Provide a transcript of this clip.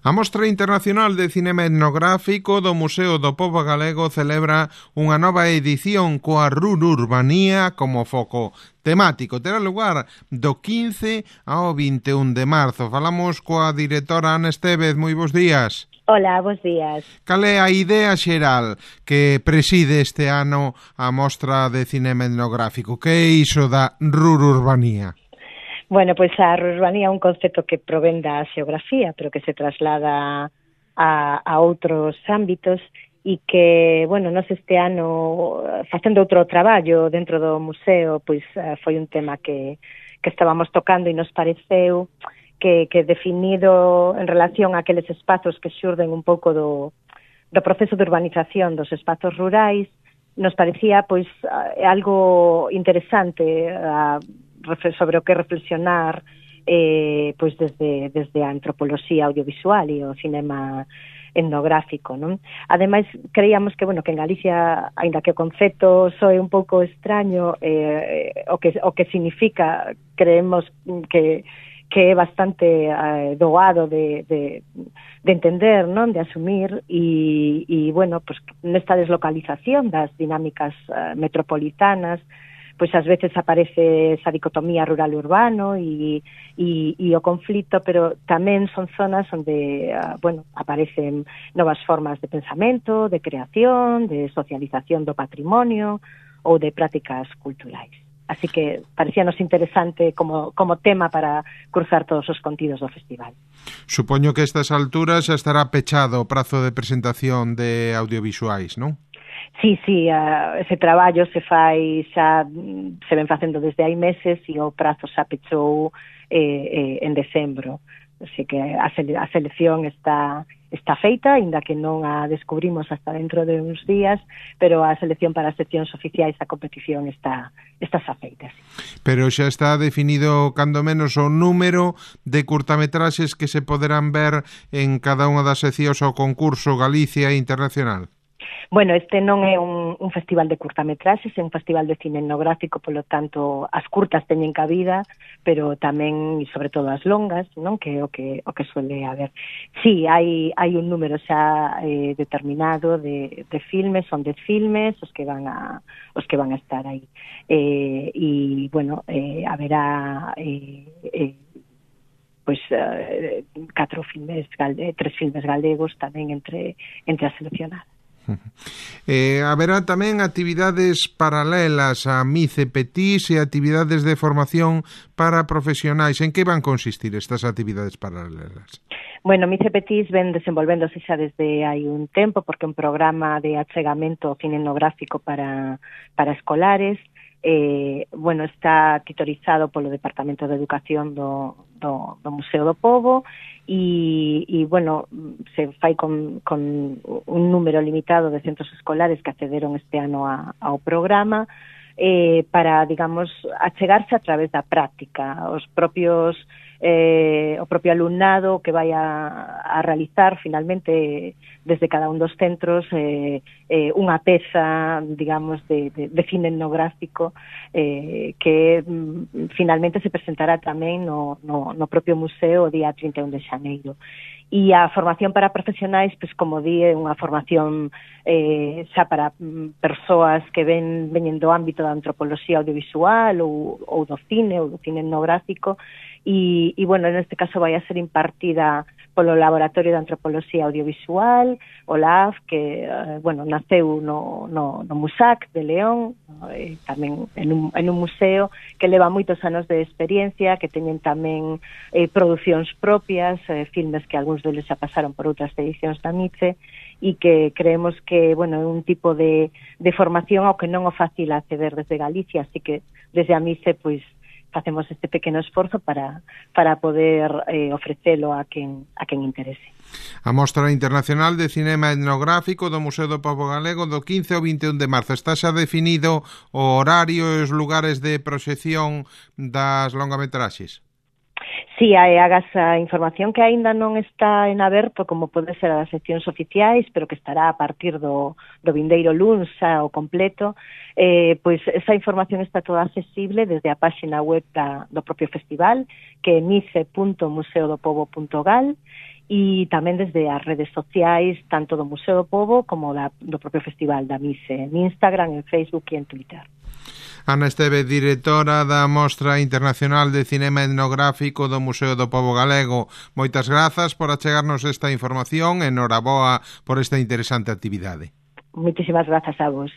A Mostra Internacional de Cinema Etnográfico do Museo do Pobo Galego celebra unha nova edición coa rururbanía como foco temático. Terá lugar do 15 ao 21 de marzo. Falamos coa directora Ana Estévez. Moi bons días. Hola, bons días. Cal é a idea xeral que preside este ano a Mostra de Cinema Etnográfico? Que é iso da rururbanía? Bueno, pois a rurbanía é un concepto que provén da xeografía, pero que se traslada a outros ámbitos e que, bueno, nos este ano, facendo outro traballo dentro do museo, pois foi un tema que estábamos tocando e nos pareceu que definido en relación a aqueles espazos que xurden un pouco do proceso de urbanización dos espazos rurais, nos parecía pois algo interesante sobre o que reflexionar pois desde a antropoloxía audiovisual e o cinema etnográfico, non? Ademais, creíamos que, bueno, que en Galicia, aínda que o concepto soe un pouco extraño, o que significa, creemos que é bastante doado de entender, non? De asumir e bueno, pues nesta deslocalización das dinámicas metropolitanas, pois ás veces aparece esa dicotomía rural-urbano e o conflito, pero tamén son zonas onde, bueno, aparecen novas formas de pensamento, de creación, de socialización do patrimonio ou de prácticas culturais. Así que parecíanos interesante como tema para cruzar todos os contidos do festival. Supoño que a estas alturas xa estará pechado o prazo de presentación de audiovisuais, non? Sí, ese traballo se ven facendo desde hai meses e o prazo xa pechou en decembro. Así que a selección está feita, aínda que non a descubrimos hasta dentro de uns días, pero a selección para as seccións oficiais da competición está xa feita. Sí. Pero xa está definido, cando menos, o número de curtametraxes que se poderán ver en cada unha das seccións ao concurso Galicia Internacional. Bueno, este non é un festival de curtametraxes, é un festival de cine etnográfico, polo tanto, as curtas teñen cabida, pero tamén, e sobre todo, as longas, non? Que é o que suele haber. Sí, hai un número xa determinado de filmes, son 10 filmes os que van a estar aí. E, bueno, haberá pois 3 filmes galegos tamén entre as seleccionadas. Haberá tamén actividades paralelas a Mice Petís e actividades de formación para profesionais. En que van consistir estas actividades paralelas? Bueno, Mice Petís ven desenvolvéndose xa desde hai un tempo porque é un programa de achegamento cinenográfico para escolares. Bueno, está titorizado polo Departamento de Educación do Museo do Pobo e bueno, se fai con un número limitado de centros escolares que accederon este ano ao programa para, digamos, achegarse a través da práctica. O propio alumnado que vai a realizar finalmente desde cada un dos centros unha peza, digamos, de cine etnográfico que finalmente se presentará tamén no propio museo o día 31 de xaneiro. E a formación para profesionais, pois, como di, é unha formación xa para persoas que veñen do ámbito da antropoloxía audiovisual ou do cine etnográfico e bueno, neste caso vai a ser impartida polo Laboratorio de Antropoloxía Audiovisual, o LAF, que, bueno, naceu no MUSAC de León, tamén en un museo que leva moitos anos de experiencia, que teñen tamén producións propias, filmes que algúns deles xa pasaron por outras edicións da Mice, e que creemos que, bueno, é un tipo de formación ao que non é fácil acceder desde Galicia, así que desde a Mice, pois, facemos este pequeno esforzo para poder ofrecelo a quen interese. A Mostra Internacional de Cinema Etnográfico do Museo do Pobo Galego do 15 ao 21 de marzo. Está xa definido o horario e os lugares de proxección das longametraxes? Sí, hagas a información que aínda non está en aberto, como pode ser as seccións oficiais, pero que estará a partir do vindeiro luns xa o completo, pois esa información está toda accesible desde a páxina web do propio festival, que é mice.museodopobo.gal, e tamén desde as redes sociais, tanto do Museo do Pobo como do propio Festival da Mise, en Instagram, en Facebook e en Twitter. Ana Esteve, directora da Mostra Internacional de Cinema Etnográfico do Museo do Pobo Galego. Moitas grazas por achegarnos esta información e noraboa por esta interesante actividade. Moitísimas grazas a vos.